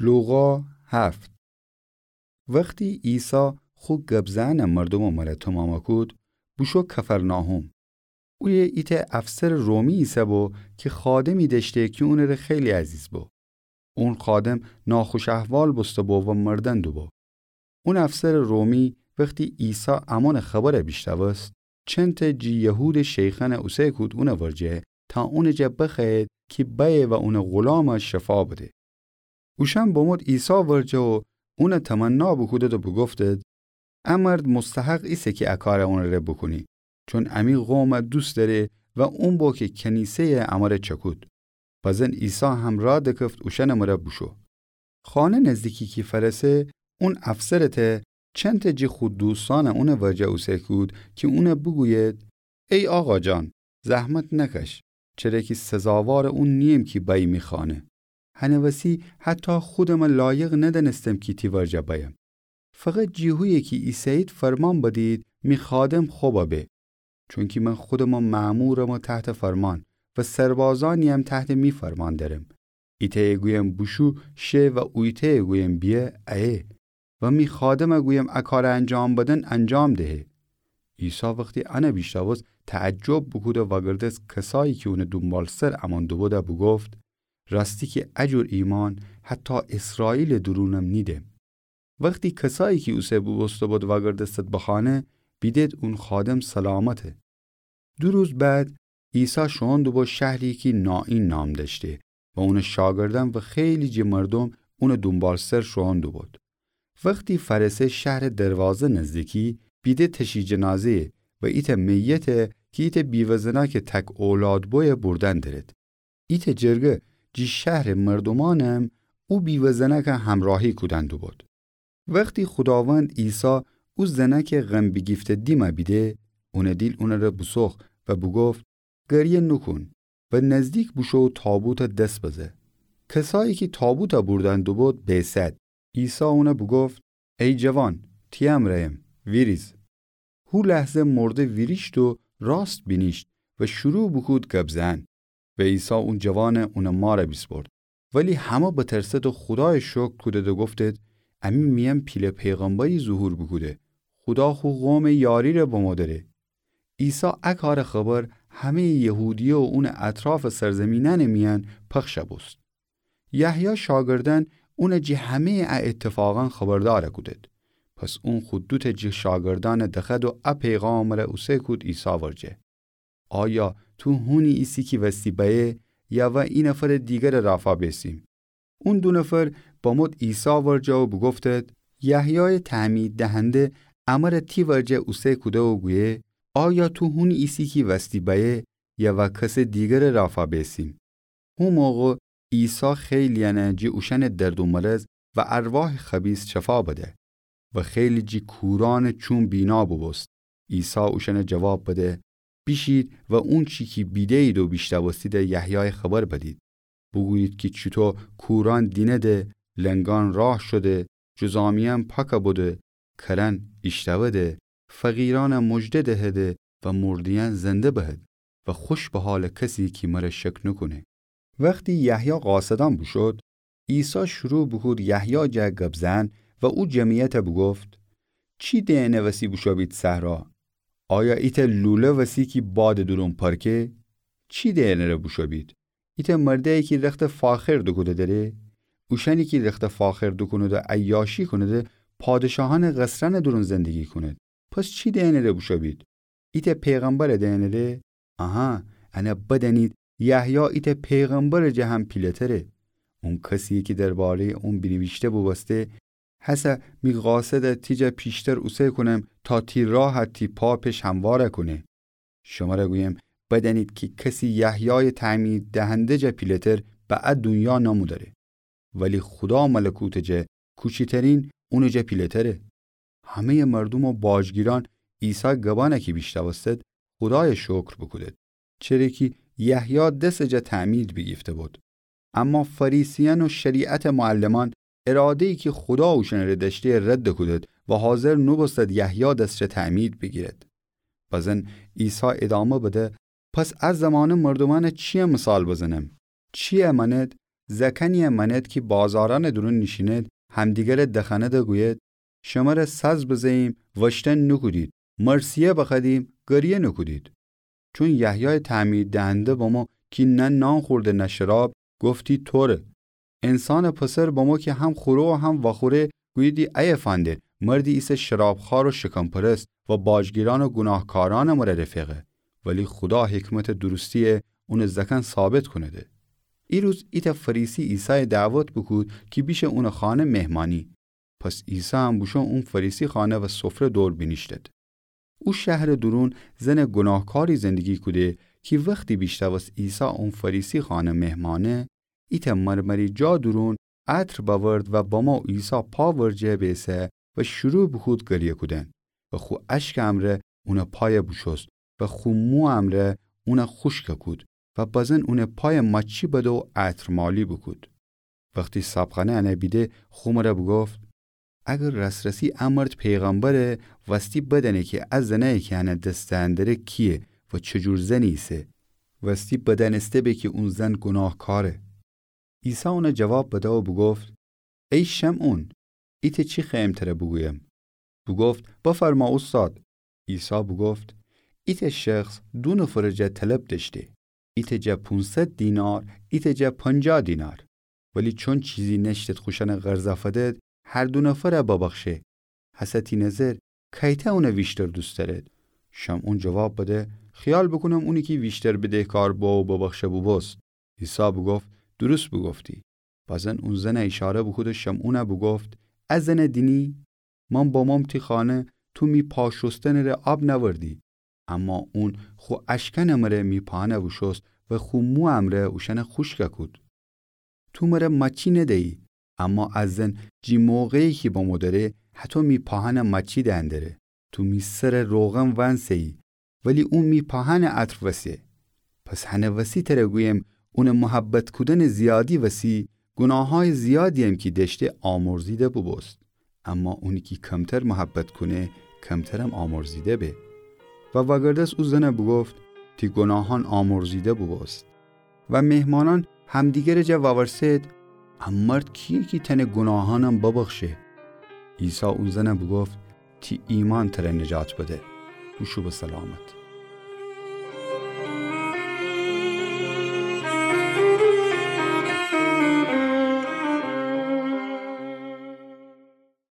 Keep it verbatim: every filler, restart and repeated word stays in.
لوقا هفت. وختی عیسی خو گب‌زئنٚ مردومٚ مره تومامَ کود، بوشو کفرناحوم. اویه ایتأ افسرٚ رومی ایسه‌بو کی خادمی دأشته کی اونٚره خیلی عزیز بو. اون خادم ناخوش احوال بوسته‌بو و مردن دوبو. اون افسرٚ رومی وختی عیسی امونٚ خبرَ بیشنوست، چندتأ جٚه یهودٚ شیخأنَ اوسه کود اونٚ ورجه تا اونٚ جا بخوأیید کی بأیه و اونٚ غلامَ شفا بده. اوشأن بمود عیسی ورجه و اونَ تمنا بوکودید و بوگفتید: ا مرد مستحق ایسه کی ا کارَ اونٚ ره بوکونی، چون امی قومَ دوست دأره و اون بو کی کنیسه‌یَ امره چکود. بزن عیسی همرأ دکفت اوشأنٚ مره بوشو. خانه نزدیکی کی فأرسه، اون افسرٚ ته چندتأ جٚه خو دوستأنَ اونٚ ورجه اوسه کود کی اونَ بوگویید: ای آقا جان، زحمت نکش، چره کی سزاوارٚ اون نییم کی بأیی می خانه. هنٚ وسی حتی خودمَ لایق ندأنستم کی تی ورجه بأیم. فقط جٚه هویه کی ایسه‌یید فرمان بدید می خادم خبَ به. چونکی من خودمٚ مأمورم و تحتٚ فرمان و سربازأنی‌یم تحتٚ می فرمان دأرم. ایتأیَ گویم بوشو، شه و اویتأیَ گویم بیه، ایه. و می خادمَ گویم ا کارَ انجام بدن، انجام دهه. عیسی وختی انَ بیشنوست، تعجب بوکود و وأگردست کسأیی کی اونٚ دونبالسر امون دوبودَ بوگفت: راستی کی ا جور ایمأن حتی اسرائیلٚ دورونم نیدم. وختی کسأیی کی اوسه بوبوسته‌بود وأگردستید به خانه، بیدید اون خادم سلامته. دو روز بعد عیسی شوئون دوبو شهری کی نائین نام دأشته و اونٚ شاگردأن و خیلی جٚه مردوم اونٚ دونبالسر شوئون دوبود. وختی فأرسه شهرٚ دروازه نزدیکی، بیده تشییع جنازه‌یَ و ایتأ میتَ کی ایتأ بیوه زنأکٚ تک اولاد بویه بوردن درید. ایتأ جرگه جٚه شهرٚ مردومأنم او بیوه زنأکَ همرأهی کودن دوبود. وختی خوداوند عیسی او زنأکٚ غم بیگیفته دیمَ بیده، اونٚ دیل اونٚ ره بوسوخت و بوگفت: گریه نوکون و نزدیک بوشو و تابوتَ دس بزه. کسأیی کی تابوتَ بوردن دوبود بیسد. عیسی اونَ بوگفت: ای جوان، تی امرأیم، ویریز. هو لحظه مرده ویریشت و راست بینیشت و شروع بوکود گب زئن. و عیسی او جوانَ اونٚ مارَ بیسپرد. ولی همه بترسد و خودایَ شکر کودد و گفتد: امی میأن پیله پیغمبری ظهور بوکوده. خودا خو قومٚ یاری‌ره بمو دأره. عیسی ا کارٚ خبر همه‌یٚ یهودیه و اونٚ اطرافٚ سرزمینأنٚ میأن پخشَ بوست. یحیی شاگردأن اونَ جٚه همه‌یٚ ا اتفاقأن خبردارَ کودد. پس اون خو دوتأ جٚه شاگردأنَ دخوأد و ا پیغامٚ ره اوسه کود عیسی ورجه: آیا تو هونی ایسی کی وستی بأیه، یا وأ ای نفرٚ دیگرٚ رافا بیسیم؟ اون دو نفر بمود عیسی ورجه و بوگفتد: یحیایٚ تعمید دهنده امرَ تی ورجه اوسه کوده و گویه: آیا تو هونی ایسی کی وستی بأیه، یا وأ کسٚ دیگرٚ رافا بیسیم؟ هو موقع عیسی خیلی‌یأنَ جٚه اوشأنٚ درد و مرض و ارواحٚ خبیث شفا بده و خیلی جٚه کورأنٚ چوم بینا بوبوست. عیسی اوشأنَ جواب بده: بیشید و اونچی کی بیده‌یید و بیشنوستیدَ یحیایَ خبر بدید. بوگویید کی چوطو کورأن دینده، لنگأن راه شوده، جذامیأن پاکَ بوده، کرأن ایشتأوده، فقیرأنَ مژده دهده و مرده‌یأن زنده بهد و خوش به حالٚ کسی کی مرَ شک نوکونه. وختی یحیی قاصدأن بوشود، عیسی شروع بوکود یحیی جا گب زئن و او جمعیتَ بوگفت: چی دئنٚ وسی بوشو بید صحرا؟ آیا ایتأ لوله وسی کی بادٚ دورون پرکه؟ چی دئنٚ ره بوشو بید؟ ایتأ مردأیی کی رختَ فاخر دوکوده دره؟ اوشأنی کی رختَ فاخر دوکونید و عیاشی کونید، پادشاهأنٚ قصرأنٚ دورون زندگی کونید. پس چی دئنٚ ره بوشو بید؟ ایتأ پیغمبرَ دئنٚ ره؟ آها، انَ بدأنید، یحیی ایتأ پیغمبرٚ جا هم پیله‌تره. اون کسی‌یه کی درباره‌یٚ اون بینیویشته بوبوسته: هسه می قاصدَ تی جا پیشتر اوسه کونم تا تی راه تی پا پش هموارَ کونه. شمرَ گویم، بدأنید کی کسی یحیایٚ تعمید دهنده جا پیله‌تر به ا دونیا نمودره. ولی خودا ملکوتٚ جا کوچیترین اونٚ جا پیله‌تره. همه‌یٚ مردوم و باجگیرأن عیسی گبأنَ کی بیشنوستد، خودایَ شکر بوکودد، چره کی یحیی دسٚ جا تعمید بیگیفته بود. اما فریسیأن و شریعتٚ معلمأن اراده‌یی کی خودا اوشأنٚ ره دأشته رد کودد و حاضر نوبوستد یحیی دس جا تعمید بیگیرد. بزن عیسی ادامه بده: پس ا زمانه مردومأنَ چی‌یه مثال بزنم؟ چی‌یه مأند؟ زأکأنیی مأنید کی بازارأنٚ دورون نیشینید، همدیگره دخأنید و گویید: شمر ساز بزه‌ییم، وأشتن نوکودید، مرثیه بخوأدیم، گریه نوکودید. چون یحیایٚ تعمیردهنده بمو کی نه نان خورده نه شراب، گفتی: طوره. انسانٚ پسر بمو کی هم خوره و هم وأخوره، گوییدی: ایه فندید، مردی ایسه شرابخوار و شکم‌پرست و باجگیرأن و گوناهکارأنٚ مره رفیقه. ولی خودا حکمتٚ درستیی اونٚ زأکأن ثابت کونده. ایروز ایتأ فریسی عیسایَ دعوت بوکود کی بیشه اونٚ خانه مهمانی. پس عیسایم بوشو اون فریسی خانه و سفره دور بینیشتد. او شهرٚ دورون زنٚ گوناهکاری زندگی کوده کی وختی بیشنوست عیسی اون فریسی خانه مهمانه، ایتأ مرمری جا دورون عطر بأورد و بمو عیسی پا ورجه بیسه و شروع بوکود گریه کودن و خو اشکٚ امرأ اونٚ پایَ بوشوست و خو مو امرأ اونَ خوشکَ کود و بازن اونٚ پایَ ماچی بده و عطرمالی بوکود. وختی صابخانه انَ بیده، خو مرَ بوگفت: اگر راس‌راسی ا مرد پیغمبره، وستی بدأنه کی ا زنأیی کی انَ دس دئن دره کییه و چی جور زنی ایسه. وستی بدأنسته به کی اون زن گوناهکاره. عیسی اونَ جواب بده و بوگفت: ای شمعون، ایتأ چی خوأیم تره بوگویم؟ بوگفت: بفرما اوستاد. عیسی بوگفت: ایتأ شخص دو نفرٚ جا طلب دأشته، ایتأ جا پونصد دینار، ایتأ جا پنجاه دینار. ولی چون چیزی نأشتد خوشأنَ قرضَ فدد، هر دو نفرَ ببخشه. هسه تی نظر کأیتأ اونَ ویشتر دوست دأرد؟ شمعون جواب بده: خیال بوکونم اونی کی ویشتر بدهکار بو و ببخشه بوبوست. عیسی بوگفت: درست بوگفتی. بازن اون زنَ ایشاره بوکود و شمعونَ بوگفت: ا زنَ دینی؟ من بموم تی خانه، تو می پا شوستنٚ ره آب نأوردی، اما اون خو اشکأنٚ مره می پاهأنَ بوشوست و خو مو امرأ اوشأنَ خوشکَ کود. تو مرَ ماچی ندیی، اما ا زن جی موقعی کی بمو دره، هتو می پاهأنَ ماچی دئن دره. تو می سرَ روغن وأنسه‌یی، ولی اون می پاهأنَ عطر وسه. پس هنٚ وسی تره گویم، اونٚ محبت کودنٚ زیادی وسی، گوناهأیٚ زیادییم کی دأشته آمرزیده بوبوست. اما اونی کی کمتر محبت کونه، کمترم آمرزیده به. و وأگردست او زنَ بوگفت: تی گوناهأن آمرزیده بوبوست. و مهمانأن همدیگرٚ جا وأورسد: ا مرد کییه کی تأنه گوناهأنم ببخشه؟ عیسی او زنَ بوگفت: تی ایمأن تره نجات بده. بوشو به سلامت.